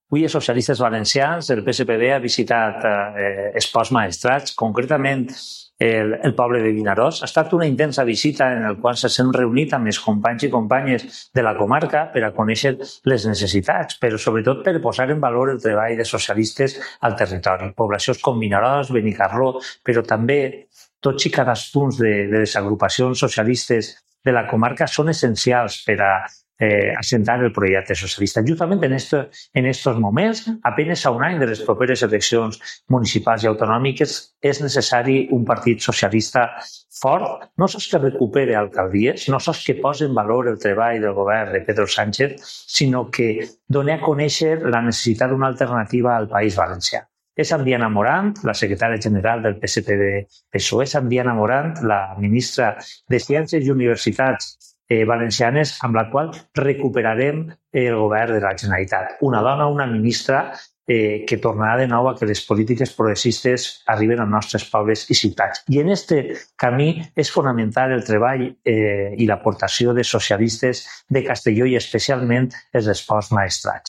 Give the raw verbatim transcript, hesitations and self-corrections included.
Avui, els socialistes valencians, el P S P B ha visitat eh, els Ports Maestrat, concretament el, el poble de Vinaròs. Ha estat una intensa visita en la qual s'han reunit amb els companys i companyes de la comarca per a conèixer les necessitats, però sobretot per posar en valor el treball de socialistes al territori. Poblacions com Vinaròs, Benicarló, però també tots i cadascun de, de les agrupacions socialistes de la comarca són essencials per a Eh, assentar el projecte socialista. Justament en estos, en estos moments, apenas a un any de les properes eleccions municipals i autonòmiques, és necessari un partit socialista fort, no sols que recupere alcaldies, no sols que posi en valor el treball del govern de Pedro Sánchez, sinó que doni a conèixer la necessitat d'una alternativa al País Valencià. És amb Diana Morant, la secretària general del P S P B P S O E, és amb Diana Morant, la ministra de Ciències i Universitats Eh, valencianes, amb la qual recuperarem el govern de la Generalitat. Una dona, una ministra eh, que tornarà de nou a que les polítiques progressistes arriben als nostres pobles i ciutats. I en aquest camí és fonamental el treball eh, i l'aportació de socialistes de Castelló i especialment els Ports Maestrat.